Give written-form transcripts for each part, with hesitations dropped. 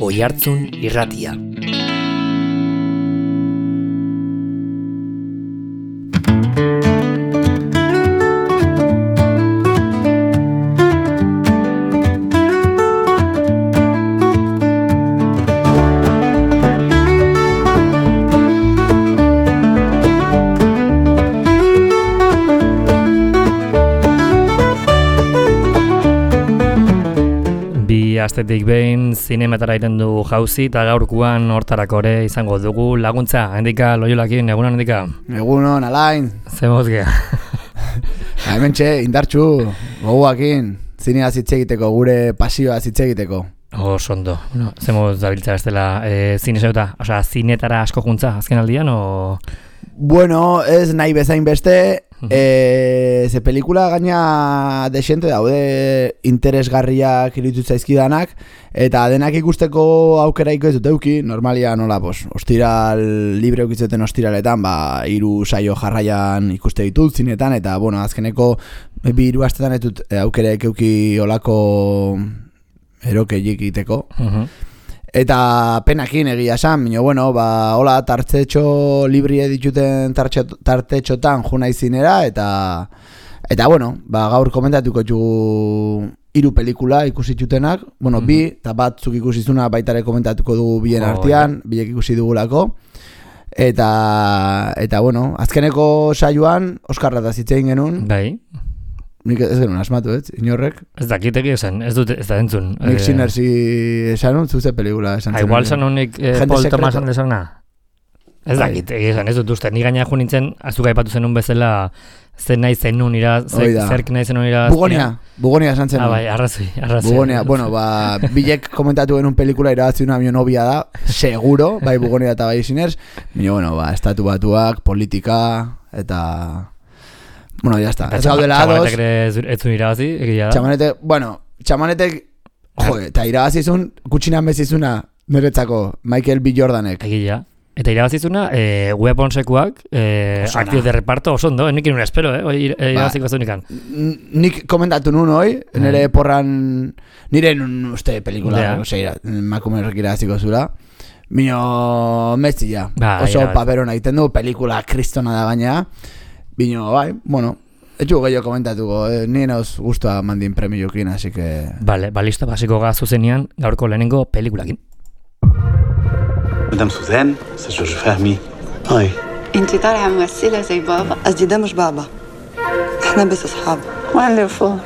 Oihartzun Irratia. Astetik behin zinemetara iten du jauzi eta gaurkuan hortarako ere izango dugu laguntza. Hendika, Loiolakin, egunon Hendika? Egunon, Alain. Zemozgea. Hementxe, indartxu, goguakin, zinea zitze egiteko, gure pasioa zitze egiteko. Sondo. Bueno, zemoz dabiltza bestela zine zeuta, osea, zinetara asko juntza, azken aldian, o...? Bueno, ez nahi bezain beste, ze pelikula gaina desente daude interesgarriak iruditu zaizkidanak, eta denak ikusteko aukeraiko ez dut euki, normalia nola, ostiral, libre eukitzeten ostiraletan, 3 saio jarraian ikuste ditut zinetan, eta, bueno, azkeneko 2 astetan ez dut aukeraik euki olako erokeiek egiteko. Eta penakin egia esan, baina bueno, hola tartetxo librie dituten tartetxotan juna izinera, eta bueno, gaur komentatuko dugu 3 pelikula ikusitutenak, bueno, 2, eta batzuk ikusizuna baitare komentatuko dugu bien artean, biek ikusi dugulako, eta bueno, azkeneko saioan Oskarra da zitzein genuen. Bai. Nik ez genuen asmatu, inorrek. Ez dakiteki esan, ez da entzun. Nik Sinersi esanun, zuze pelikula esan zen. Igual sanunik Paul Thomas handesana. Ez dakiteki esan, ez dut uste. Ni gaina jo nintzen, azuka aipatu zenun bezala, zen nahi zenun zerk nahi zenun ira... Bugonia esan zenun. Bai, arrazoi. Bugonia, bueno, bilek komentatu genuen pelikula irabatzi una novia da, seguro, bai Bugonia eta bai Siners, baina, bueno, estatu batuak, politika, eta... Bueno, ya está. Ez gaudela ados. Txamanetek ez zuen irabazi, egia da. Txamanetek, eta irabazizun, kutsinan bezizuna, niretzako, Michael B. Jordanek. Egia. Eta irabazizuna, Weaponsekuak, aktiz de reparto, oso ondo, nik inun espero, irabaziko zunikan. Nik komentatu nun hoi, nire porran, nire uste pelikula, makumerrek irabaziko zura. Mino, metzia. Oso paperona egiten du, pelikula kristona da gaina. Bino, bai, bueno, etxu gehiago komentatuko, nien hauz guztua mandin premiokin, así que... Vale, listo, basiko ga zuzenean, gaurko lehenengo pelikulakin. مدام سوزان استاذ جورج فهمي هاي انتي طالعه ممثله زي بابا قصدي ده مش بابا احنا بس اصحاب وين فوق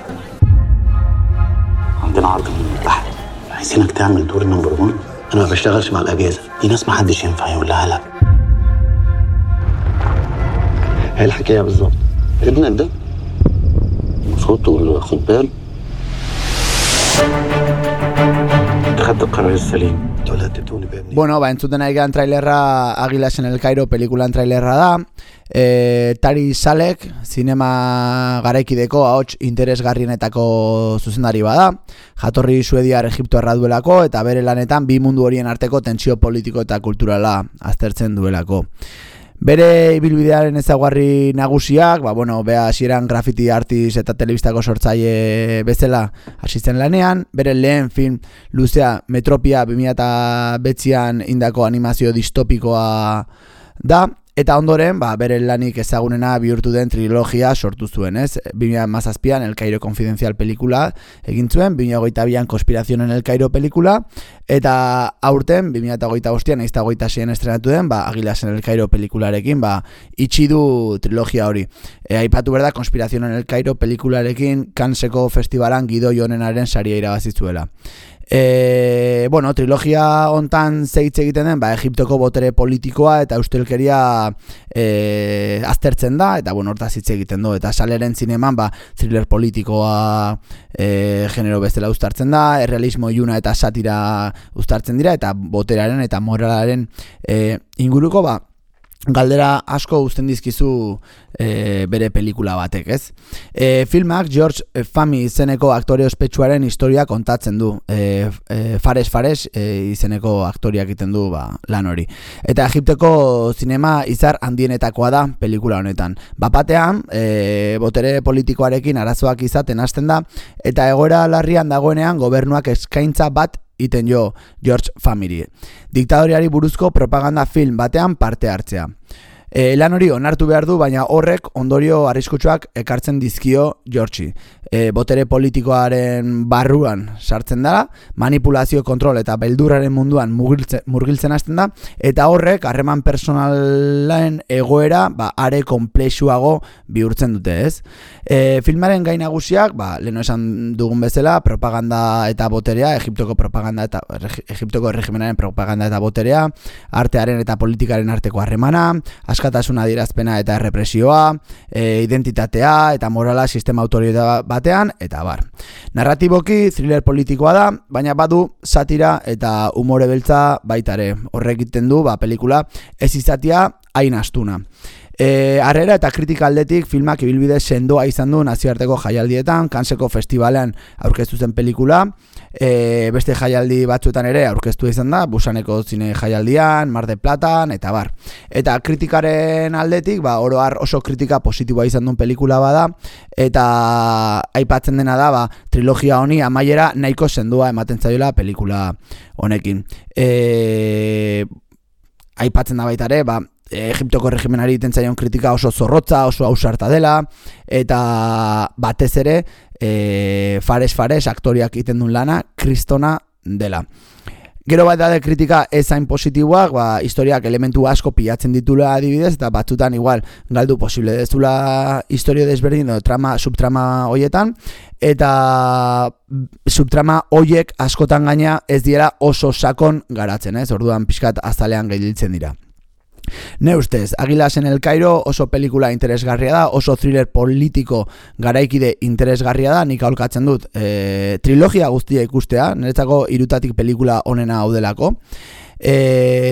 عندنا عرض من البحر عايزينك تعمل دور نمبر 1 انا ما بشتغلش مع الاجازه دي ناس ما حدش ينفع يقول لها لا هي الحكايه بالظبط ابنك ده المفروض تقول له خد بال خدت القرار السليم. Bueno, entzuten ari gehan trailerra Águilas en el Cairo pelikulan trailerra da. Tari Salek, zinema garaikideko ahots interesgarrienetako zuzendari bada. Jatorri suediar Egiptoarra duelako eta bere lanetan bi mundu horien arteko tentsio politiko eta kulturala aztertzen duelako. Bere ibilbidearen ezaugarri nagusiak, bea hasieran graffiti artist eta telebistako sortzaile bezala hasi zen lanean, bere lehen film luzea Metropia 2009an indako animazio distopikoa da, eta ondoren, bere lanik ezagunena bihurtu den trilogia sortu zuen, ez? 2017an El Cairo Confidencial pelikula egin zuen, 2022an Conspiración en el Cairo pelikula, eta aurten, 2025an, eta 26an estrenatu den, Águilas en el Cairo pelikularekin, itxi du trilogia hori. Aipatu berda, Conspiración en el Cairo pelikularekin Canneseko festivalan Guido Jonenaren saria irabazizuela. Trilogia hontan zeitz egiten den, Egiptoko botere politikoa eta ustelkeria aztertzen da, eta hortaz hitz egiten du, eta saleren zineman, thriller politikoa genero bezala uztartzen da, errealismo iluna eta satira uztartzen dira, eta boteraren eta moralaren inguruko, galdera asko uzten dizkizu bere pelikula batek, ez? Filmak George Fahmy izeneko aktore ospetsuaren historia kontatzen du. Fares izeneko aktoriak egiten du lan hori. Eta Egipteko zinema izar handienetakoa da pelikula honetan. Bapatean, botere politikoarekin arazoak izaten hasten da, eta egoera larrian dagoenean gobernuak eskaintza bat iten jo George Family. Diktadoriari buruzko propaganda film batean parte hartzea. Lan hori onartu behar du, baina horrek ondorio arriskutsuak ekartzen dizkio Georgei. Botere politikoaren barruan sartzen dara, manipulazio, kontrol eta beldurraren munduan murgiltzen hasten da, eta horrek harreman personalen egoera are komplexuago bihurtzen dute, ez? Filmaren gai nagusiak, leheno esan dugun bezala, propaganda eta boterea, Egiptoko erregimenaren propaganda eta boterea, artearen eta politikaren arteko harremana, askatasuna adierazpena eta errepresioa, identitatea eta morala sistema autoritario batean, eta bar. Narratiboki thriller politikoa da, baina badu satira eta umore beltza baitare. Horrek egiten du pelikula ez izatea hain astuna. Harrera eta kritika aldetik filmak ibilbide sendoa izan du nazioarteko jaialdietan, Canneseko festivalean aurkeztu zen pelikula, beste jaialdi batzuetan ere aurkeztu izan da, Busaneko zine jaialdian, Mar del Platan, eta bar. Eta kritikaren aldetik, oro har oso kritika positiboa izan duen pelikula bada, eta aipatzen dena da, trilogia honi amaiera nahiko sendoa ematen zaiola pelikula honekin. Aipatzen da baita ere, Egiptoko erregimenari egiten zaion kritika oso zorrotza, oso ausarta dela, eta batez ere fares aktoriak egiten duen lana kristona dela. Gero bat da kritika ez hain positiboak, historiak elementu asko pilatzen ditula adibidez, eta batzutan igual galdu posible dezula historio desberdin edo subtrama hoietan, eta subtrama hoiek askotan gaina ez diera oso sakon garatzen, orduan pixkat azalean gailditzen dira. Ne ustez, Águilas en el Cairo oso pelikula interesgarria da, oso thriller politiko garaikide interesgarria da, nik aholkatzen dut trilogia guztia ikustea, niretzako 3 pelikula onena hau delako.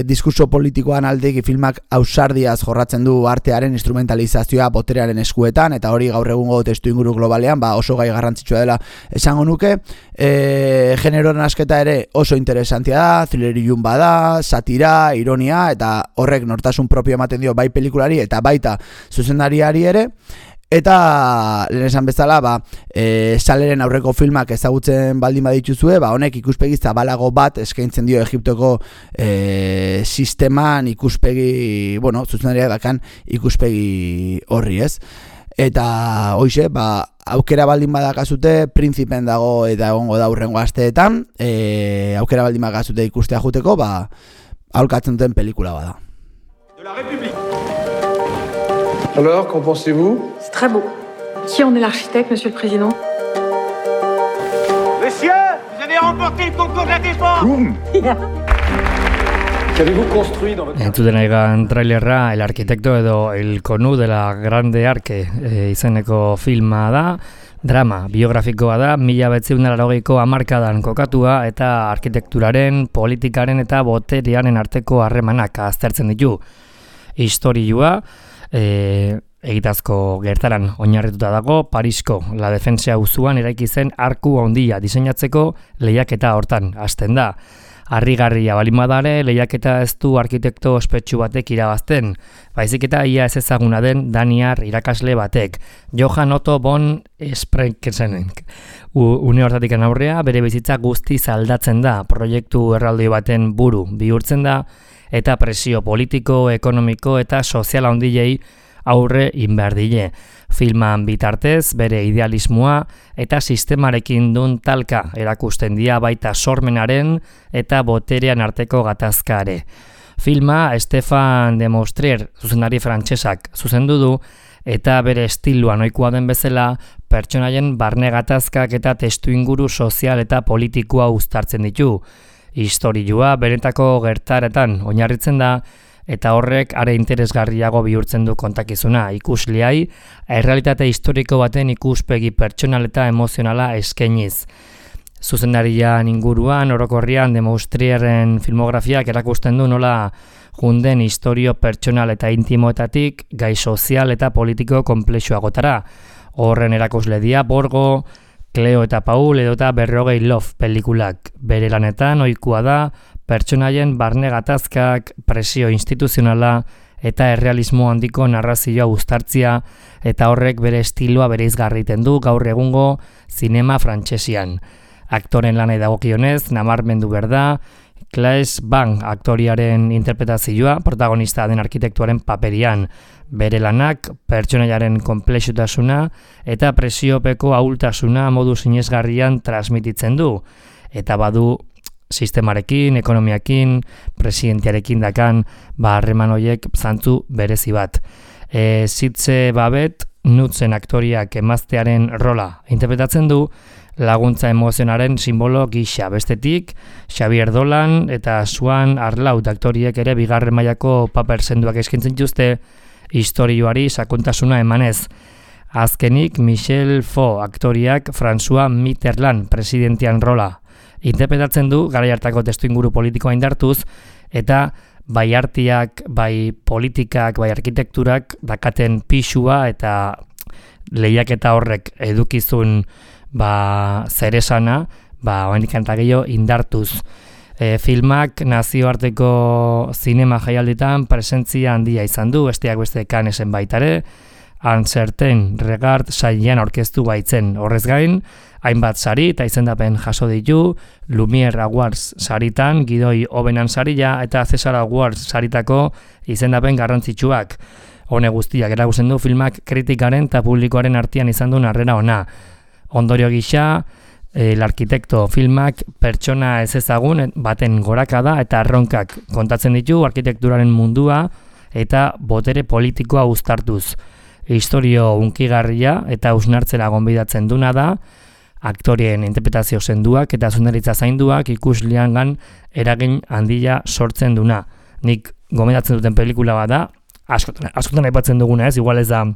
Diskurso politikoan aldeki filmak ausardiaz jorratzen du artearen instrumentalizazioa boterearen eskuetan, eta hori gaur egungo testu inguru globalean oso gai garrantzitsua dela esango nuke. Genero nasketa ere oso interesantia da, thriller ilun bada, satira, ironia, eta horrek nortasun propio ematen dio bai pelikulari eta baita zuzendariari ere. Eta lehen esan bezala, saleren aurreko filmak ezagutzen baldin badituzue, honek ikuspegi zabalago bat eskaintzen dio Egiptoko sisteman ikuspegi, zuzendaria dakan ikuspegi horri, ez? Eta hoize, aukera baldin badakazute, Prinzipen dago eta egongo da hurrengo asteetan, aukera baldin badakazute ikustea juteko, aholkatzen duten pelikula bada. De la République. Alors, qu'en pensez-vous? C'est très beau. Qui en est l'architecte, Monsieur le Président? Monsieur, vous avez remporté le concours de la défense. Qu'avez-vous construit dans votre... Entzuten aigan trailerra, El Arquitecto edo El Conu de la Grande Arque izeneko filma da. Drama, biografikoa da, 1980ko hamarkadan kokatua eta arkitekturaren, politikaren eta boterearen arteko harremanak aztertzen ditu. Historioa, egitazko gertaran oinarrituta dago, Parisko La Defensa auzoan eraiki zen arku handia diseinatzeko lehiaketa hortan hasten da. Harrigarria baldin bada ere, lehiaketa ez du arkitekto ospetsu batek irabazten, baizik eta ia ez ezaguna den daniar irakasle batek, Johann Otto von Sprenkesenek. Une hortatik aurrea, bere bizitza guztiz aldatzen da, proiektu erraldoi baten buru bihurtzen da, eta presio politiko, ekonomiko eta sozial handiei aurre inberdile. Filman bitartez, bere idealismoa eta sistemarekin dun talka erakusten dia baita sormenaren eta boterean arteko gatazkare. Filma Stéphane de Moustier, zuzendari frantsesak, zuzendu du, eta bere estiloan ohikoa den bezala, pertsonaien barne gatazkak eta testuinguru sozial eta politikoa uztartzen ditu. Historioa benetako gertaretan oinarritzen da, eta horrek are interesgarriago bihurtzen du kontakizuna ikusleai, errealitate historiko baten ikuspegi pertsonal eta emozionala eskainiz. Zuzendarian inguruan, orokorrian, de Moustierren filmografiak erakusten du nola junden historio pertsonal eta intimoetatik gai sozial eta politiko konplexuagotara. Horren erakusle dia Borgo, Cleo eta Paul edota 40 Love pelikulak. Bere lanetan ohikoa da pertsonaien barne gatazkak, presio instituzionala eta errealismo handiko narrazioa uztartzia, eta horrek bere estiloa bereizgarriten du gaur egungo zinema frantsesian. aktoren lanai dagokionez, nabarmendu berda, Claes Bang aktoriaren interpretazioa protagonista den arkitektuaren paperian, bere lanak pertsonaiaren konplexutasuna eta presiopeko ahultasuna modu sinesgarrian transmititzen du, eta badu sistemarekin, ekonomiakin, presidentearekin dakan harreman horiek zantzu berezi bat. Sitze Babet Nutzen aktoriak emaztearen rola interpretatzen du, laguntza emozionaren simbolo gisa. Bestetik, Xavier Dolan eta Suan Arlaut aktoriek ere bigarren mailako paper senduak eskaintzen dituzte istorioari sakontasuna emanez. Azkenik, Michel Faux aktoriak François Mitterrand presidentian rola interpretatzen du, garai hartako testuinguru politikoa indartuz, eta bai artiak, bai politikak, bai arkitekturak dakaten pixua eta lehiaketa horrek edukizun zeresana, oraindik eta gehiago indartuz. Filmak nazioarteko zinema jaialditan presentzia handia izan du, besteak beste Cannesen baitare, Uncertain Regard sailean aurkeztu baitzen. Horrez gain, hainbat sari eta izendapen jaso ditu, Lumiere Awards saritan, Gidoi Obenan saria eta Cesar Awards saritako izendapen garrantzitsuak. Hone guztiak erakusten du filmak kritikaren eta publikoaren artean izan duen harrera ona. Ondorio gisa, El Arkitekto filmak pertsona ez ezagun baten gorakada eta erronkak kontatzen ditu arkitekturaren mundua eta botere politikoa uztartuz. Historio unkigarria eta usnartzera gonbidatzen duna da, aktorien interpretazio senduak eta zuzendaritza zainduak ikusleangan eragin handia sortzen duna. Nik gomendatzen duten pelikula bat da, askotan aipatzen duguna ez, igual ez da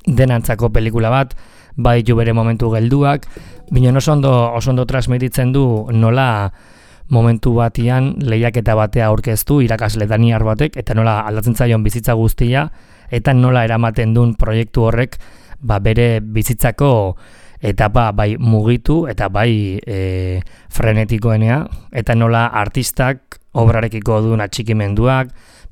denantzako pelikula bat, bai ju bere momentu gelduak, bino oso ondo transmititzen du nola momentu batian lehiaketa batea aurkeztu irakasle daniar batek, eta nola aldatzen zaion bizitza guztia, eta nola eramaten duen proiektu horrek bere bizitzako etapa bai mugitu eta bai frenetikoenea, eta nola artistak obrarekiko duen atxikimenduak,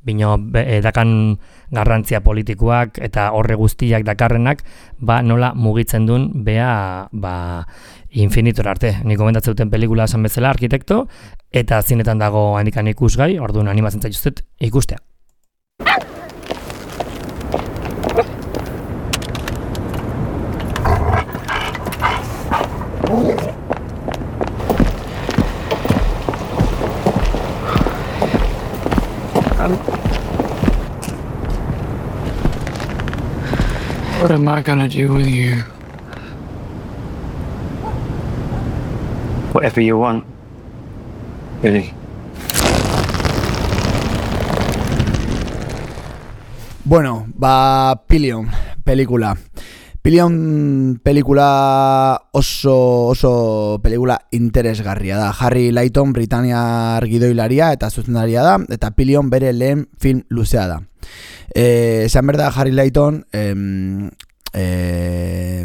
bino dakan garrantzia politikoak eta horre guztiak dakarrenak, nola mugitzen duen bea infinitor arte. Nik gomendatzen duten pelikula esan bezala Arkitekto, eta zinetan dago handikan ikusgai, orduan animatzen zaituztet ikustea. What am I gonna do with you? Whatever you want, Billy. Bueno, Pillion pelikula. Pillion pelikula oso pelikula interesgarria da. Harry Layton Britaniar gidoilaria eta zuzendaria da, eta Pillion bere lehen film luzea da. Esan berda Harry Layton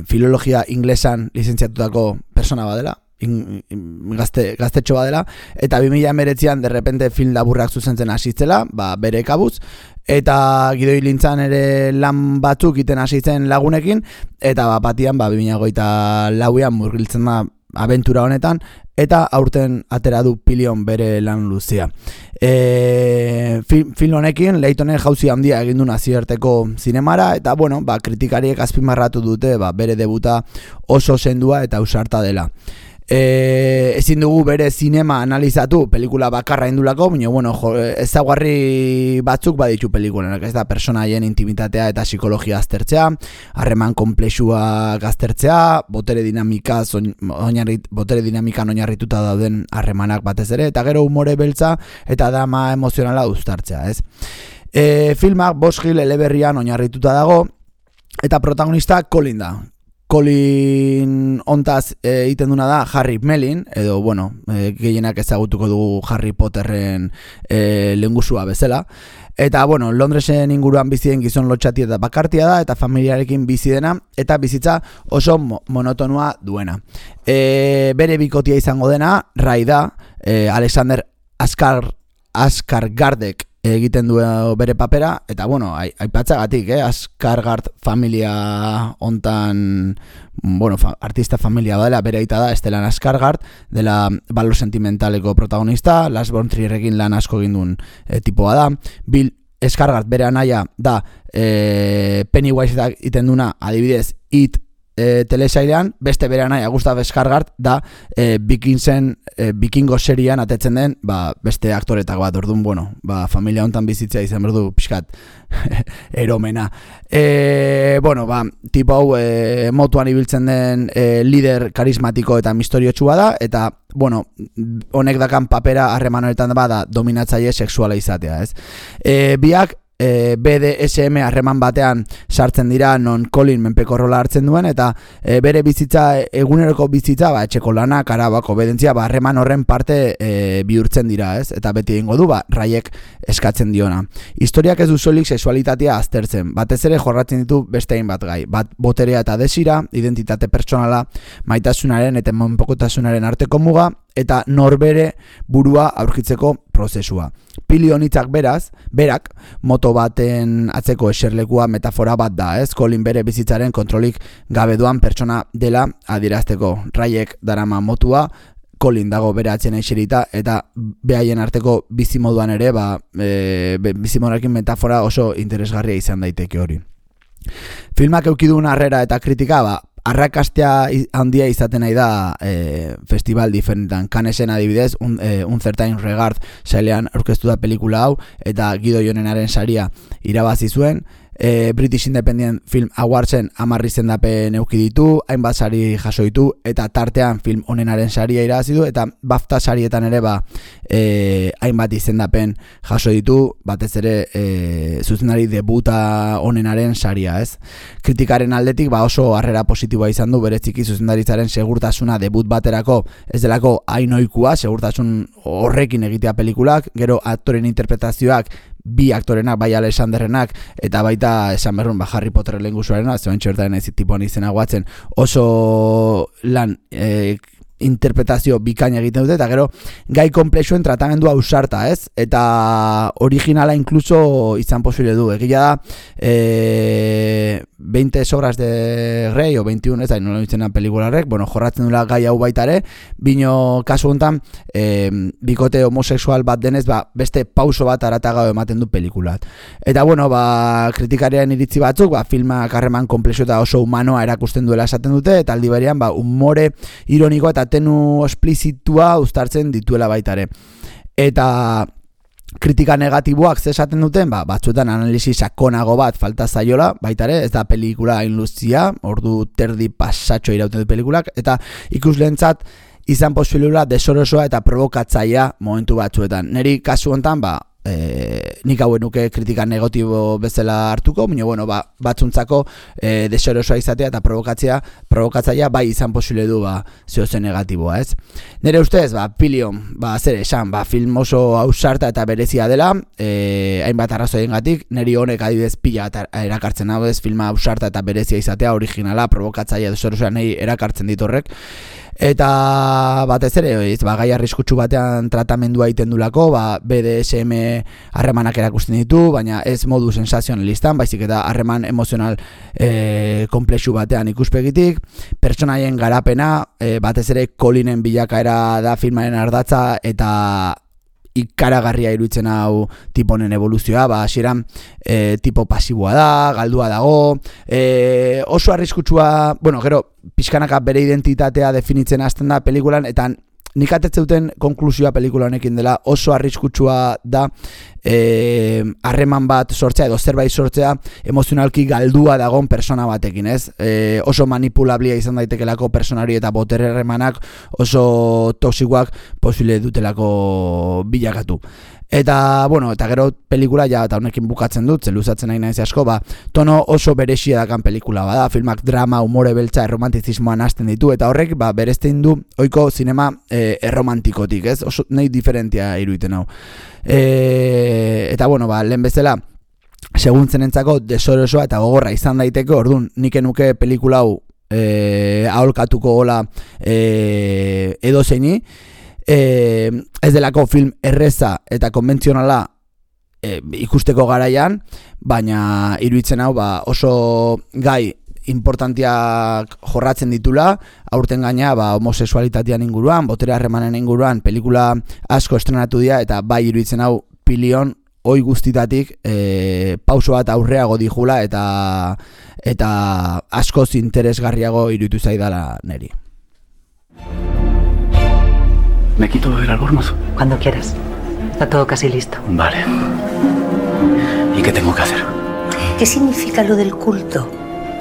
filologia inglesan lizentziatutako persona badela, gaztetxo badela, eta 2019an derrepente film laburrak zuzentzen hasitzela, bere kabuz, eta gidoilintzan ere lan batzuk iten hasitzen lagunekin, eta batian 2024an murgiltzen da abentura honetan, eta aurten atera du Pillion bere lan luzea. Film honekin Laytonen jauzi handia egin du nazioarteko zinemara, eta kritikariek azpimarratu dute bere debuta oso sendua eta ausarta dela. Ezin dugu bere zinema analizatu pelikula bakarra indulako, baina ezaugarri batzuk baditu pelikulenak, ez da personaien intimitatea eta psikologia aztertzea, harreman konplexua aztertzea, botere dinamikan oinarrituta dauden harremanak batez ere, eta gero umore beltza eta drama emozionala uztartzea, ez? Filmak Bosch Hill eleberrian oinarrituta dago, eta protagonista Colin da. Colin ontaz egiten duna da Harry Melin, edo, gehienak ezagutuko dugu Harry Potterren lehengusua bezala. Eta, Londresen inguruan bizien gizon lotxati eta bakartia da, eta familiarekin bizi dena, eta bizitza oso monotonua duena. Bere bikotia izango dena, Ray da, Alexander Skarsgård egiten du bere papera, eta bueno, aipatzagatik, Skarsgård familia hontan, bueno, artista familia dela, bere aita da, Stellan Skarsgård, dela Valor Sentimentaleko protagonista, Lars von Trierrekin lan asko egin duen tipoa da, Bill Skarsgård bere anaia da Pennywise egiten duna, adibidez, It telesailean, beste bere anaia Gustav Skarsgård da Vikingo serian atetzen den beste aktoretako bat, orduan, bueno, familia hontan bizitzea izan berdu pixkat eromena. Bueno, tipo hau motuan ibiltzen den lider karismatiko eta misteriotsua da, eta bueno, honek dakan papera harreman honetan da dominatzaile sexuala izatea, ez? Biak BDSM harreman batean sartzen dira, non Colin menpeko rola hartzen duen, eta bere bizitza, eguneroko bizitza, etxeko lanak, arabak, obedentzia, harreman horren parte bihurtzen dira, ez? Eta beti egingo du, Raiek eskatzen diona. Historiak ez du soilik sexualitatea aztertzen, batez ere jorratzen ditu beste hainbat gai, bat boterea eta desira, identitate pertsonala, maitasunaren eta menpekotasunaren arteko muga, eta norbere burua aurkitzeko prozesua. Pili honitzak berak, moto baten atzeko eserlekua metafora bat da, ez? Colin bere bizitzaren kontrolik gabe doan pertsona dela adierazteko. Raiek darama motua, Colin dago bere atzen eserita, eta behaien arteko bizimoduan ere, bizimoduarekin metafora oso interesgarria izan daiteke hori. Filmak eukidun harrera eta kritika, arrakastea handia izaten nahi da festival diferentan. Canesen adibidez, un certain regard sailean aurkeztu da pelikula hau, eta Guido Jonenaren saria irabazi zuen. British Independent Film Awardsen 10 izendapen eduki ditu, hainbat sari jaso ditu, eta tartean film honenaren saria irabazi du, eta BAFTA sarietan ere hainbat izendapen jaso ditu, batez ere zuzenari debuta honenaren saria, ez? Kritikaren aldetik oso harrera positiboa izan du, bereziki zuzendaritzaren segurtasuna debut baterako ez delako hainoikua, segurtasun horrekin egitea pelikulak, gero aktoren interpretazioak bi aktorenak, bai Alexanderrenak eta baita esan berrun Harry Potter lehengusuarena, zeuen txertaren ez tipuan izena guatzen, oso lan interpretazio bikaina egiten dute, eta gero gai komplexuen tratamendua ausarta, ez? Eta originala inkluso izan posible du. Egia da 20 sobras de Grey o 21, ez da, nola ditzena pelikularrek, bueno, jorratzen dula gai hau baitare, bino kasu honetan bikote homosexual bat denez, beste pauso bat aratagao ematen du pelikulat. Eta bueno, kritikarian iritzi batzuk, filmak harreman komplexo eta oso humanoa erakusten duela esaten dute, eta aldi berean humore ironikoa eta tenu esplizitua uztartzen dituela baitare. Eta kritika negatiboak zesaten duten, batzuetan analisi sakonago bat falta zaiola, baitare, ez da pelikula hain luzia, ordu terdi pasatxo irauten du pelikulak, eta ikusleentzat izan posibilula desorosoa eta provokatzaia momentu batzuetan. Neri kasu honetan, nik hauen nuke kritika negatibo bezala hartuko, baina bueno, batzuntzako desorosoa izatea eta provokatzaia bai izan posible du zehozen negatiboa, ez? Nere ustez, Pilion, zer esan, film oso ausarta eta berezia dela, hainbat arrazoiengatik, neri honek adibidez pila erakartzen hau ez, filma ausarta eta berezia izatea, originala, provokatzaia desorosoa nahi erakartzen ditorrek. Eta batez ere, gai arriskutsu batean tratamendua egiten dulako, BDSM harremanak erakusten ditu, baina ez modu sensazionalistan, baizik eta harreman emozional komplexu batean ikuspegitik, pertsonaien garapena, batez ere Colinen bilakaera da filmaren ardatza, eta ikaragarria iruditzen hau tipo honen evoluzioa, hasieran tipo pasiboa da, galdua dago, oso arriskutsua, bueno, gero pixkanaka bere identitatea definitzen hasten da pelikulan, eta nik atetzeuten konklusioa pelikula honekin dela oso arriskutsua da harreman bat sortzea edo zerbait sortzea emozionalki galdua dagon persona batekin, ez? Oso manipulablia izan daitekelako personari eta botere harremanak oso toksikoak posible dutelako bilakatu. Eta, bueno, eta gero pelikula ja, eta honekin bukatzen dut, zeluzatzen nahi naiz asko, tono oso berexia dakan pelikula bada, filmak drama, humore beltza, erromantizismoan hasten ditu, eta horrek, berezten du oiko zinema erromantikotik, ez? Oso nahi diferentia iruiten hau. Eta, bueno, lehen bezala, seguntzen desorosoa eta gogorra izan daiteke, orduan, nik enuke pelikula hau aholkatuko gola edozeini, ez delako film erreza eta konbentzionala ikusteko garaian, baina iruditzen hau oso gai importantiak jorratzen ditula, aurten gaina homosexualitatean inguruan, botere harremanen inguruan, pelikula asko estrenatu dira, eta bai iruditzen hau pilion oi guztitatik pauso bat aurreago dijula eta askoz interesgarriago iruditu zaidala neri. ¿Me quito el albornoz? Cuando quieras. Está todo casi listo. Vale. ¿Y qué tengo que hacer? ¿Qué significa lo del culto?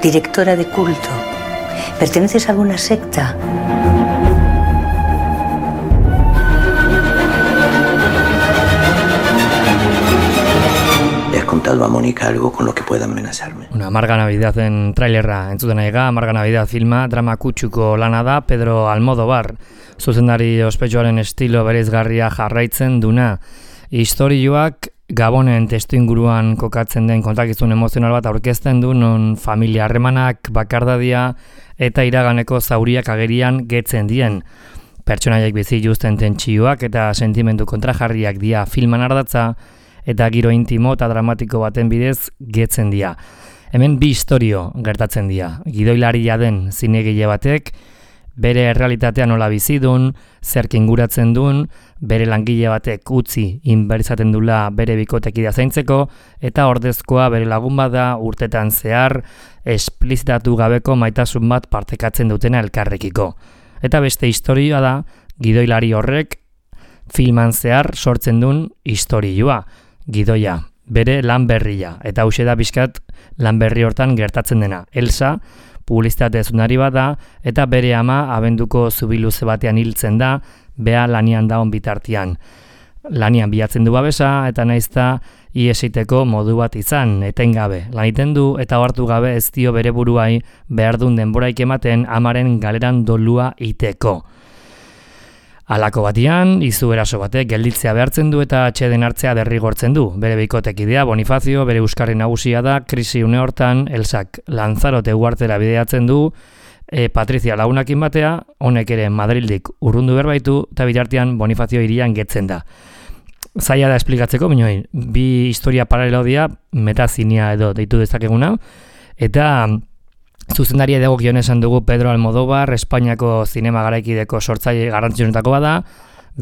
Directora de culto. ¿Perteneces a alguna secta? ¿Le has contado a Mónica algo con lo que pueda amenazarme? Amarga Navidad en trailerra entzuten aiga, Amarga Navidad filma, drama kutsuko lana da, Pedro Almodóvar, zuzendari ospetsuaren estilo bereizgarria jarraitzen duna. Istorioak Gabonen testuinguruan kokatzen den kontakizun emozional bat aurkezten du, non familia harremanak, bakardadia eta iraganeko zauriak agerian getzen dien. Pertsonaiek bizi justen tentsioak eta sentimendu kontrajarriak dia filman ardatza, eta giro intimo eta dramatiko baten bidez getzen dira. Hemen bi istorio gertatzen dira. Gidoilaria den zinegile batek, bere errealitatea nola bizidun, zerk inguratzen duen, bere langile batek utzi inbertzaten dula bere bikotekidea zaintzeko, eta ordezkoa bere lagun bada urtetan zehar esplizitatu gabeko maitasun bat partekatzen dutena elkarrekiko. Eta beste istorioa da, gidoilari horrek filman zehar sortzen duen istorioa. Gidoia, bere lan berria, eta hauxe da bizkat lan berri hortan gertatzen dena. Elsa, publizitate zunari bat da, eta bere ama abenduko zubiluze batean hiltzen da, bea lanian daun bitartian. Lanian bilatzen du babesa, eta naizta iesiteko modu bat izan, etengabe. Laniten du eta ohartu gabe ez dio bere buruai behar duen denboraik ematen amaren galeran dolua iteko. Halako batian, izu eraso batek gelditzea behartzen du eta atxeden hartzea derrigortzen du. Bere bikotekidea Bonifazio, bere euskarri nagusia da, krisi une hortan, Elsak Lanzarote uhartera bideatzen du, Patrizia lagunakin batea, honek ere Madrildik urrundu berbaitu, eta bitartean Bonifazio hirian getzen da. Zaila da esplikatzeko, binoi, bi historia paralelo dira, metazinia edo deitu dezakeguna, eta zuzendaria dagokion esan dugu Pedro Almodóvar, Espainiako zinema garaikideko sortzaile garrantzionetako bada,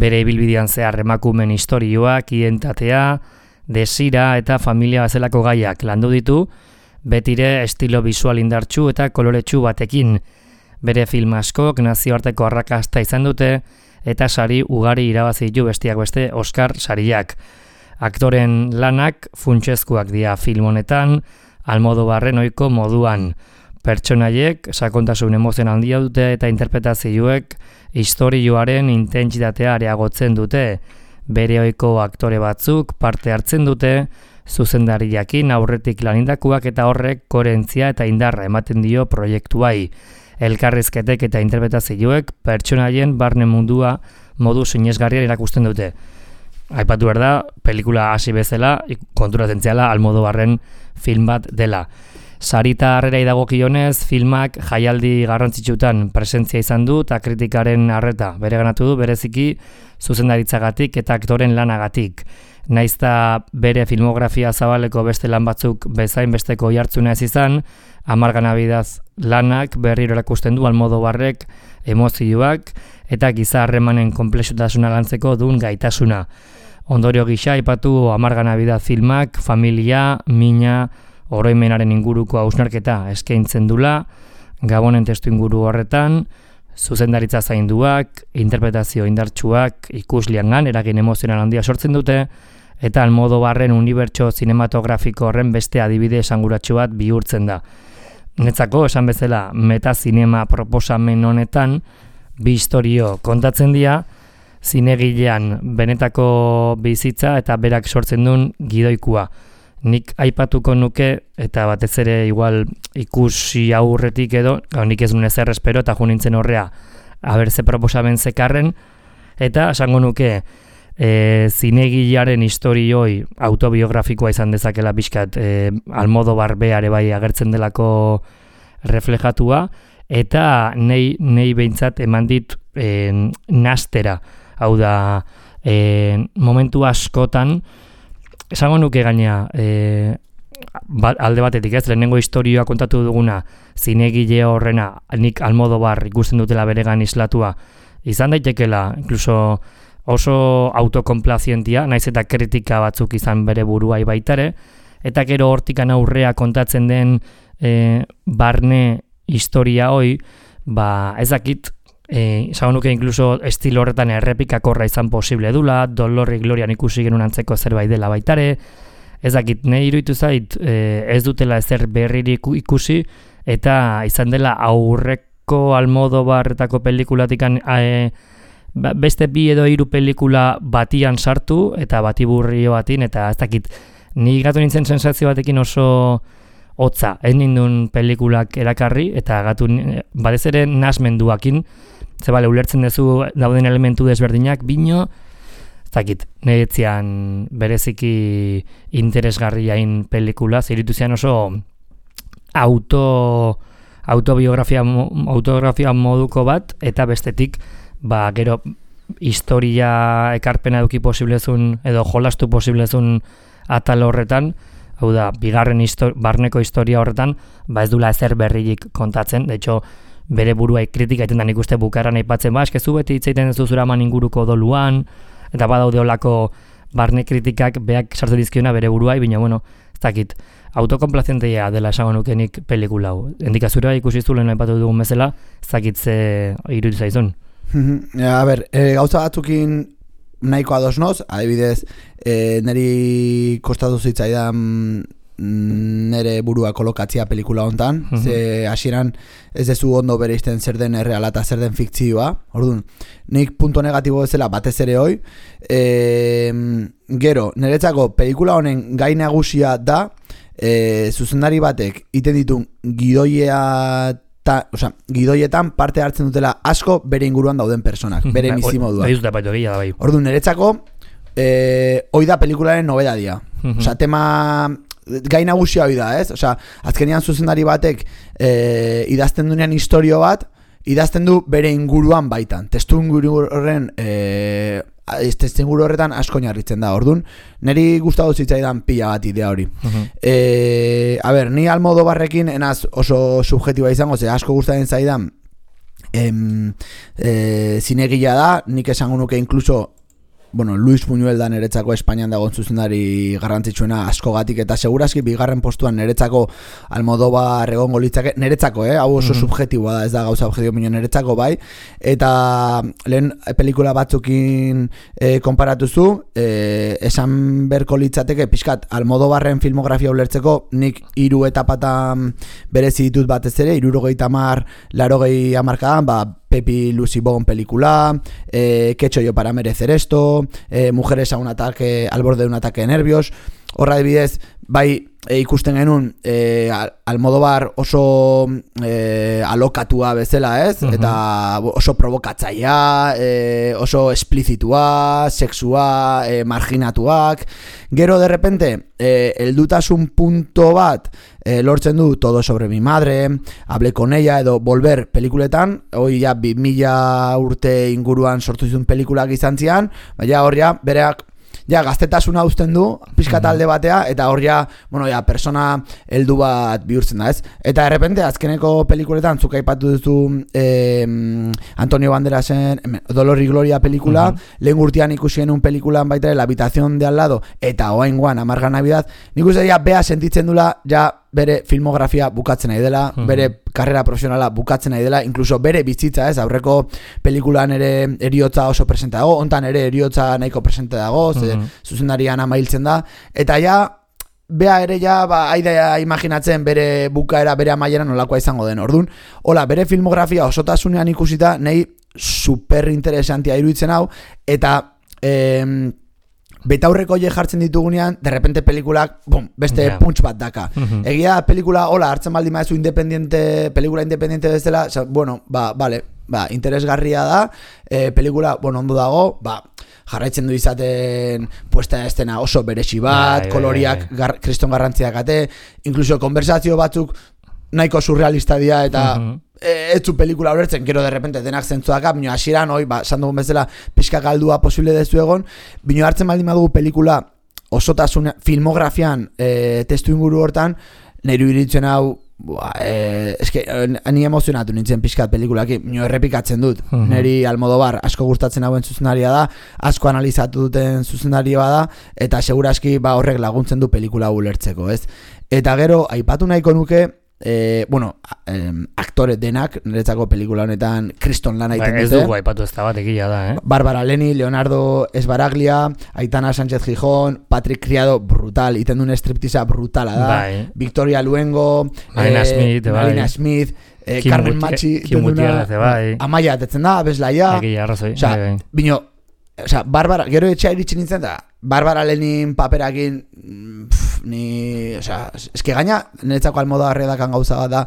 bere ibilbidean zehar emakumeen istorioak, identitatea, desira eta familia bezalako gaiak landu ditu, betire estilo bisual indartsu eta koloretsu batekin. Bere film askok nazioarteko arrakasta izan dute eta sari ugari irabazi ditu besteak beste Oscar sariak. Aktoren lanak funtsezkoak dira film honetan, Almodóvarren ohiko moduan. Pertsonaiek sakontasun emozional handia dute eta interpretazioek istorioaren intentsitatea areagotzen dute. Bere ohiko aktore batzuk parte hartzen dute, zuzendariakin aurretik lanindakuak eta horrek koherentzia eta indarra ematen dio proiektuai. Elkarrizketek eta interpretazioek pertsonaien barne mundua modu sinesgarrian erakusten dute. Aipatu behar da, pelikula hasi bezala, konturatzen ziala Almodóvarren film bat dela. Sarita harrera dagokionez, filmak jaialdi garrantzitsutan presentzia izan du eta kritikaren arreta bereganatu du bereziki zuzendaritzagatik eta aktoren lanagatik. Naizta bere filmografia zabaleko beste lan batzuk bezain besteko jartzuna ez izan, Amarga Navidad lanak berriro erakusten du Almodóvarrek emozioak eta giza harremanen konplexutasuna lantzeko duen gaitasuna. Ondorio gisa aipatu Amarga Navidad filmak familia, mina, oroimenaren inguruko hausnarketa eskaintzen dula, Gabonen testu inguru horretan, zuzendaritza zainduak, interpretazio indartsuak ikusliangan eragin emozional handia sortzen dute, eta Almodóvarren unibertso zinematografiko horren beste adibide esanguratsu bat bihurtzen da. Netzako, esan bezala, metazinema proposamen honetan, bi istorio kontatzen dira, zinegilean benetako bizitza eta berak sortzen duen gidoikua. Nik aipatuko nuke, eta batez ere igual ikusi aurretik edo, nik ez nuen ezer espero eta junintzen horrea abertze proposamen zekarren, eta esango nuke zinegilearen historioi autobiografikoa izan dezakela pixkat Almodóvar beare bai agertzen delako reflejatua, eta nei behintzat eman dit nastera, hau da momentu askotan esango nuke gaina, alde batetik ez, lehenengo historioa kontatu duguna, zinegile horrena, nik Almodóvar ikusten dutela beregan islatua, izan daitekela, incluso oso autokonplazientia, naiz eta kritika batzuk izan bere buruai baitare, eta gero hortikan aurrea kontatzen den barne historia hoi, ez dakit, esango nuke incluso estilo horretan errepikakorra izan posible dula, Dolor y Glorian ikusi genuen antzeko zerbait dela baitare, ez dakit, nahi iruditu zait, ez dutela ezer berririk ikusi, eta izan dela aurreko Almodóvarretako pelikulatikan beste 2 edo 3 pelikula batian sartu, eta batiburrio batin, eta ez dakit, ni gatu nintzen sensazio batekin oso hotza, ez nindun pelikulak erakarri, eta gatu batez ere nasmenduakin, ze bale, ulertzen duzu dauden elementu desberdinak, bino, ez dakit, niretzian bereziki interesgarriain pelikula, ziritu zian oso autobiografia moduko bat, eta bestetik, gero historia ekarpena eduki posiblezun, edo jolastu posiblezun atal horretan, hau da, bigarren barneko historia horretan, ez dula ezer berririk kontatzen, de hecho, bere buruai kritika iten da nik uste bukaran aipatzen, eskezu beti itzaiten ez duzuraman inguruko doluan, eta badaude olako barne kritikak beak sartzen dizkiona bere buruai, baina, bueno, ez dakit, autokonplazienteia dela esango nukenik pelikula hau. Endikazura ikusi zu lehen aipatu dugun bezala, ez dakit ze iruditu zaizun. A ber, gauza batzukin nahiko ados noz, adibidez, niri kostatu zitzaidan nere burua kolokatzia pelikula hontan, ze hasieran ez dezu ondo bereizten zer den erreala eta zer den fikzioa, orduan, nik punto negatibo bezala batez ere hoi, gero, niretzako pelikula honen gai nagusia da, zuzendari batek iten ditu gidoietan parte hartzen dutela asko bere inguruan dauden personak, bere bizimodua. Orduan, niretzako hoi da pelikularen nobedadia. Osea, tema gai nagusia hoi da, ez? Osea, azkenean zuzendari batek idazten dunean historio bat, idazten du bere inguruan baitan. Testu inguru horretan asko narritzen da. Orduan, niri gustatu zitzaidan pila bat idea hori. A ber, ni Almodóvarrekin enaz oso subjetiba izango, ze asko gustatzen zaidan zinegila da, nik esango nuke inkluso Luis Buñuel da niretzako Espainian dagoen zuzendari garrantzitsuena askogatik, eta segurazki bigarren postuan niretzako Almodóvar egongo litzake, niretzako, hau oso subjetiboa da, ez da gauza objetibo minio niretzako bai, eta lehen pelikula batzukin konparatuzu, esan berko litzateke pixkat Almodóvarren filmografia ulertzeko nik 3 etapatan berezi ditut batez ere, 70, 80 hamarkadan, Pepi Lucy Bon pelikula, ¿Qué he hecho yo para merecer esto? Mujeres a un ataque, al borde de un ataque de nervios. Horra adibidez, bai ikusten genuen Almodóvar oso alokatua bezala, ez? Eta oso provokatzaia, oso esplizitua, sexua, marginatuak. Gero de repente, heldutasun punto bat lortzen du Todo sobre mi madre, Hablé con ella, edo Volver pelikuletan, hoi ja 2000 urte inguruan sortu zituen pelikulak izan zian, baina hor ja bereak gaztetasuna uzten du, pixka talde batea, eta hor persona heldu bat bihurtzen da, ez? Eta de repente, azkeneko pelikuletan, zuk aipatu duzu Antonio Banderasen Dolor y Gloria pelikula, lehen urtean ikusi genuen pelikulan baita La habitación de al lado, eta oaingoan Amarga Navidad, nik uste dira bea sentitzen dula, ja bere filmografia bukatzen nahi dela, bere karrera profesionala bukatzen nahi dela, incluso bere bizitza, ez, aurreko pelikulan ere eriotza oso presente dago, hontan ere eriotza nahiko presente dago, zuzendarian amailtzen da, eta ja, bea ere ja, aidea imaginatzen bere bukaera, bere amaieran nolakoa izango den, orduan, hola, bere filmografia osotasunean ikusita, nahi super interesantia iruditzen hau, eta betaurreko jartzen ditugunean, de repente pelikulak, beste punch bat daka. Egia pelikula, hola, hartzen baldi maezu pelikula independiente bezala, vale, interesgarria da, pelikula, ondo dago, jarraitzen du izaten puesta estena oso beresi bat, koloriak kriston garrantziak ate, incluso konversazio batzuk nahiko surrealista dira, eta ez zu pelikula horretzen, gero de repente denak zentzuak, bino hasieran, sandugun bezala pixka galdua posible dezu egon, bino hartzen baldin badugu pelikula osotasun filmografian testu inguru hortan nire iritzen hau eske ni emozionatu nintzen pixkat pelikulaki, nio errepikatzen dut. Neri Almodóvar asko gustatzen hauen zuzenaria da, asko analizatu duten zuzenaria da, eta seguraski horrek laguntzen du pelikula ulertzeko, ez? Eta gero aipatu nahiko nuke aktore denak niretzako pelikula honetan kriston lana egiten dute. Ez dugu aipatu ez da bat egia da, Bárbara Leni, Leonardo Esbaraglia, Aitana Sánchez Gijón, Patrick Criado, brutal, iten duen striptisa brutala da. Victoria Luengo, Marina Smith, Carmen Machi, Amaia atetzen da, Beslaia. Bino, Bárbara, gero etxea iritsi nintzen da, Bárbara Lenin paperakin eske gaina niretzako Almodóvar dakan gauza bat da,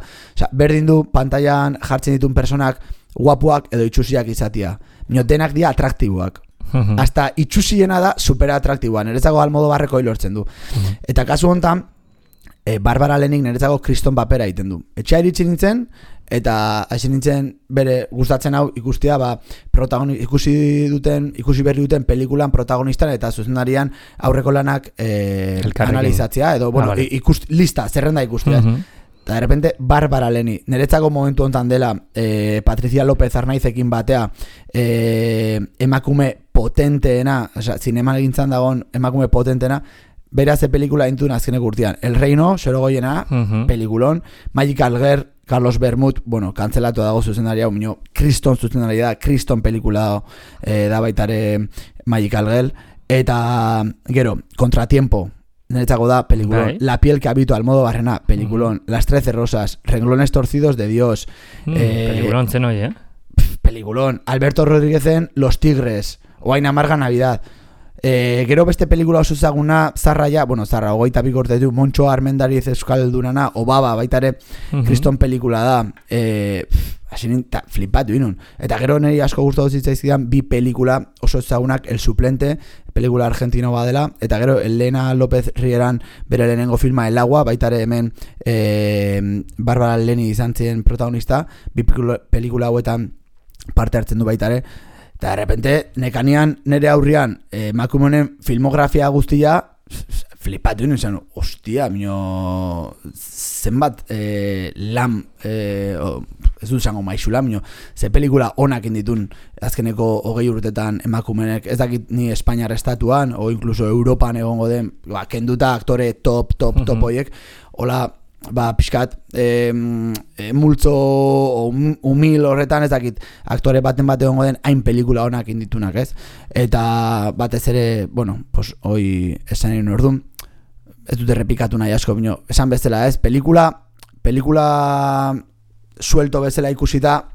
berdin du pantailan jartzen dituen personak guapuak edo itxusiak izatia. Bino, denak dira atraktiboak. Hasta itxusiena da supera atraktiboa, niretzako Almodóvarreko hilortzen du. Eta kasu honetan, Bárbara Lenik niretzako kriston papera egiten du. Etxea iritsi nintzen, eta hasi nintzen bere gustatzen hau ikustia ikusi berri duten pelikulan protagonistan eta zuzendarian aurreko lanak analizatzea edo lista, zerrenda ikustia. Eta de repente Bárbara Leni, niretzako momentu hontan dela Patricia López Arnaizekin batea emakume potenteena, zineman egintzan dagoen emakume potenteena, beraz pelikula intun azkenek urtean. El Reino, Sorogoiena, pelikulon, Magical Girl, Carlos Bermud, kantzelatu dago zuzendaria, kriston zuzendaria da, kriston pelikula da baitare Magical Girl, eta gero, Contratiempo, niretzako da, pelikulon, La piel que habito Almodóvarrena, pelikulon, Las 13 rosas, Renglones torcidos de Dios, pelikulon zen hoi, pelikulon, Alberto Rodríguezen Los tigres, Oain amarga Navidad. Gero beste pelikula oso ezaguna zarra, 22 urte ditu, Montxo Armendariz euskaldunana, Obaba baitare kriston pelikula da, flipatu inun. Eta gero niri asko gustatu zitzaizkidan bi pelikula oso ezagunak, El suplente, pelikula argentino badela, eta gero Elena López Rieran bere lehenengo filma El agua, baitare hemen Bárbara Leni izan ziren protagonista, bi pelikula hauetan parte hartzen du baitare. Eta de repente, nekanean nire aurrian emakumeen filmografia guztia flipatu nintzen, ostia, zenbat lan, ez dut zango maixula, ze pelikula onak inditun azkeneko 20 urtetan emakumenek, ez dakit ni Espainiar estatuan, o incluso Europan egongo den, kenduta aktore top oiek, hola, pixkat multzo humil horretan ez dakit aktore baten egongo den hain pelikula honak inditunak, ez? Eta batez ere, hoi esan egin orduan, ez dut errepikatu nahi asko, esan bezala, ez? Pelikula suelto bezala ikusita,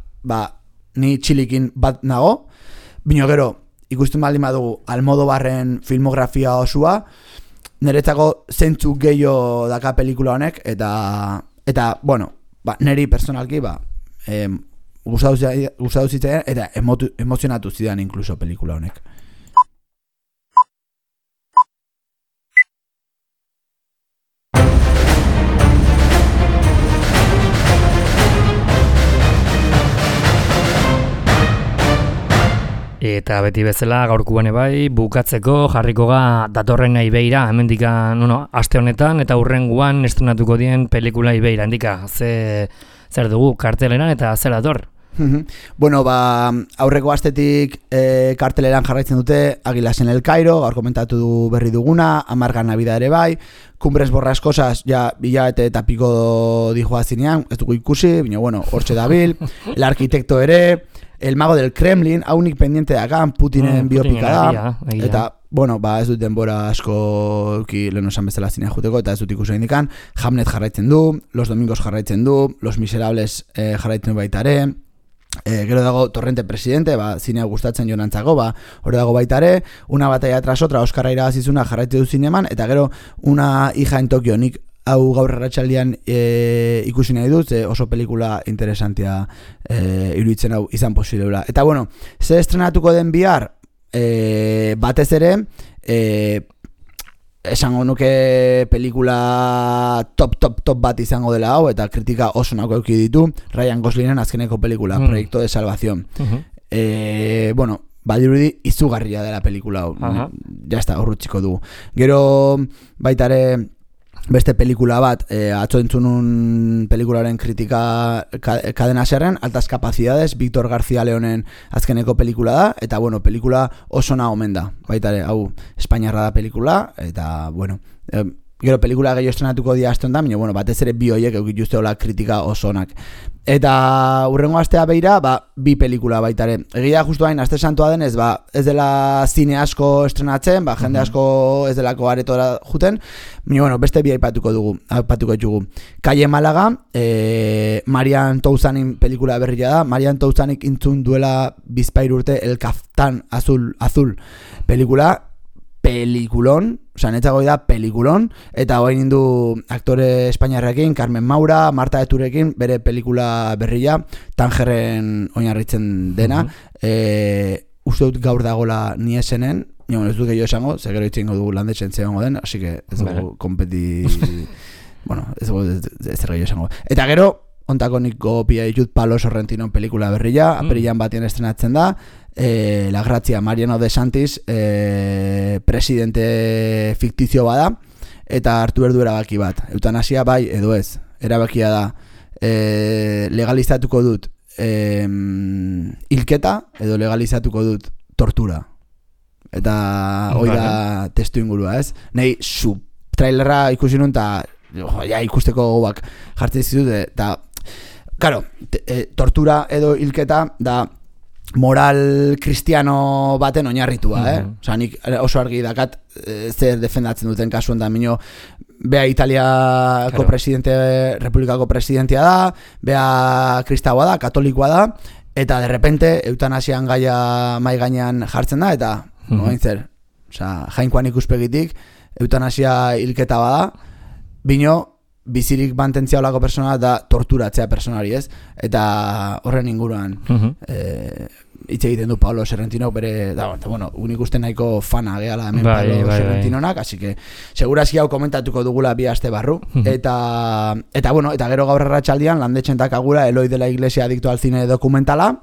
ni txilikin bat nago, gero, ikusten baldin badugu Almodóvarren filmografia osua, niretzako zentzuk gehiago daka pelikula honek, eta niri personalki gustatu zitzen eta emozionatu zidan inkluso pelikula honek. Eta beti bezala gaurkuan bai, bukatzeko jarriko ga datorren Ibeira, hemendikan, aste honetan eta hurrengoan estrenatuko dien pelikula Ibeira, handika, zer dugu karteleran eta zer dator? Aurreko astetik karteleran jarraitzen dute Águilas en el Cairo, gaur komentatu berri duguna, Amarga Navidad ere bai, Cumbres borrascosas, bilabete eta piko dijoa zinean, ez dugu ikusi, hortxe dabil, El arquitecto ere, El mago del Kremlin, haunik pendiente dakan, Putinen biopika da, eta, ez dut denbora asko lehen esan bezala zinea juteko, eta ez dut ikusi indikan, Hamlet jarraitzen du, Los domingos jarraitzen du, Los miserables jarraitzen du baitare, gero dago Torrente presidente, zinea gustatzen jonantzako, hori dago baitare, Una batalla tras otra, Oskarra irabazizuna jarraitzen du zineman, eta gero Una hija en Tokio, nik hau gaur arratsaldean ikusi nahi dut, oso pelikula interesantia iruditzen hau izan posiblea. Eta ze estrenatuko den bihar, batez ere, esango nuke pelikula top bat izango dela hau, eta kritika oso nako eduki ditu, Ryan Goslingen azkeneko pelikula, Proyecto de Salvación. Badirudi izugarria dela pelikula hau. jazta, horrutziko dugu. Gero baitare beste pelikula bat, atzo entzunun pelikularen kritika Cadena Serren, Altas Capacidades, Víctor García Leonen azkeneko pelikula da, eta bueno, pelikula oso na omen da, baitare, hau, Espainiarra da pelikula, eta bueno, gero pelikula gehiago estrenatuko dia aston da, bueno, batez ere bi hoiek eukit justeola kritika oso onak. Eta urrengo astea beira, bi pelikula baitare. Egia justu hain, aste santua denez, ez dela zine asko estrenatzen, jende asko ez delako aretora juten, bueno, beste bi aipatuko ditugu. Calle Málaga, Marian Touzanin pelikula berria da. Marian Touzanik intzun duela bizpahiru urte El Kaftan Azul pelikula, pelikulon, netzago da pelikulon, eta hoain indu aktore espainiarrekin, Carmen Maura, Marta Eturekin, bere pelikula berria, Tangerren oinarritzen dena, uste dut gaur dagola ni esenen, ez dut gehiago esango, segero itxingo dugu landetzen zegoengo den, así que ez dugu bueno, ez dugu ez gehiago esango. Eta gero, ontako nik gopia ditut Palo Sorrentino pelikula berria, apirilan batien estrenatzen da, La Gracia, Mariano de Santis, presidente fiktizio bada, eta hartu berdu erabaki bat. Eutanasia bai edo ez. Erabakia da, legalizatuko dut hilketa, edo legalizatuko dut tortura. Eta hoi da testu ingurua, ez? Nei, trailerra ikusi nun, eta ikusteko gobak jartzen zitut, eta, claro, tortura edo hilketa da moral kristiano baten oinarritua, Osa, nik oso argi dakat zer defendatzen duten kasuen da, minio, bea Italiako presidente, republikako presidentia da, bea kristaua da, katolikoa da, eta de repente eutanasian gaia mai gainean jartzen da, eta noain zer, osa, jainkoan ikuspegitik, eutanasia hilketa bada, bino, bizirik mantentzia olako persona da torturatzea personari, ez? Eta horren inguruan hitz egiten du Pablo Sorrentino bere, bueno, unik uste nahiko fana gehala hemen Pablo Sorrentinonak, así que segurazki hau komentatuko dugula bi aste barru, eta bueno, eta gero gaur arratsaldean landetzen dakagula Eloy de la Iglesia adicto al cine dokumentala,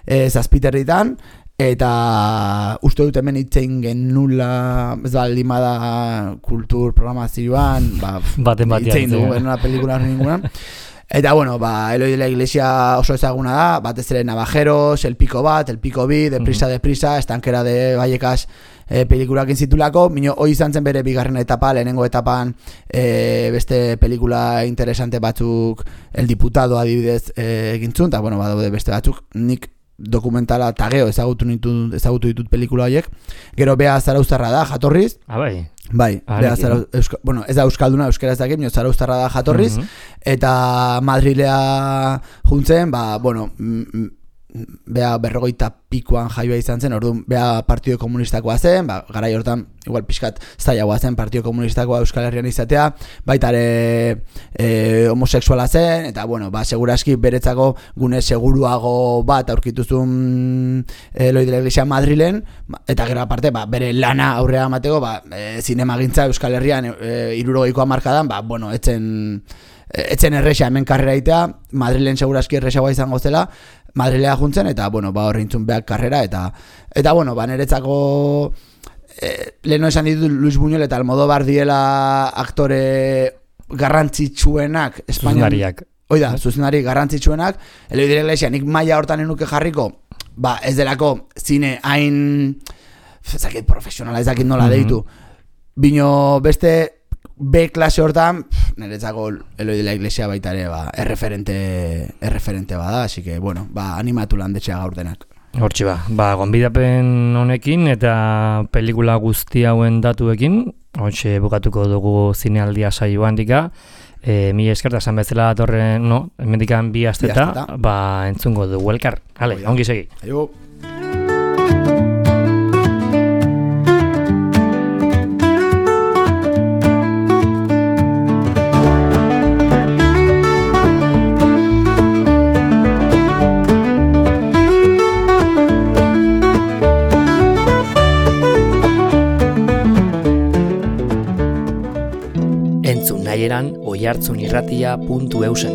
zazpiterritan, eta uste dut hemen itzein genula, ez da limada kultur programazioan, itzein dugu genula pelikula ningunan. Eta bueno, Eloy de la Iglesia oso ezaguna da, batez ere Navajeros, El Pico Bat, El Pico Bi, Deprisa, Estankera de Vallecas pelikulakin zitulako, minio hoi izan zen bere bigarren etapa, lehenengo etapan beste pelikula interesante batzuk, El Diputado adibidez egintzun, eta bueno, badaude beste batzuk, nik dokumentala tageo ezagutu ditut pelikula horiek. Gero bea zarauztarra da, jatorriz. Bai, bueno, ez da euskalduna, euskera ez dakit, zarauztarra da jatorriz, eta Madrilea juntzen, bueno, bea 50 pikoan jaioa izan zen, orduan bea Partido Komunistakoa zen, garai hortan, igual pixkat zailagoa zen Partido Komunistakoa Euskal Herrian izatea, baitare homosexuala zen, eta bueno, seguraski beretzako gune seguruago bat aurkituzun Eloy de la Iglesia Madrilen, eta gero aparte, bere lana aurrea amateko, zinemagintza Euskal Herrian 60ko hamarkadan, bueno, etzen erresa hemen karrera itea, Madrilen segurazki erresagoa izango zela, Madrilea juntzen, eta, bueno, horri intzun behar karrera, eta bueno, niretzako leheno esan ditut Luis Buñuel eta Almodóvar diela aktore garrantzitsuenak zuzendariak. Oida, zuzendari garrantzitsuenak, Eloy de la Iglesia, nik maila hortan enuke jarriko, ez delako zine hain ezakit profesionala, ezakit nola deitu, bino beste B klase hortan, niretzako Eloy de la Iglesia baita ere erreferente bada, así que, bueno, animatu landetxea gaur denak. Hortxe gonbidapen honekin eta pelikula guzti hauen datuekin, hortxe bukatuko dugu zinealdia saioan dika, mila eskerta esan bezala datorren, hemendikan bi asteta, entzungo dugu elkar. Hale, ongi segi. Aio. Oihartzunirratia.eusen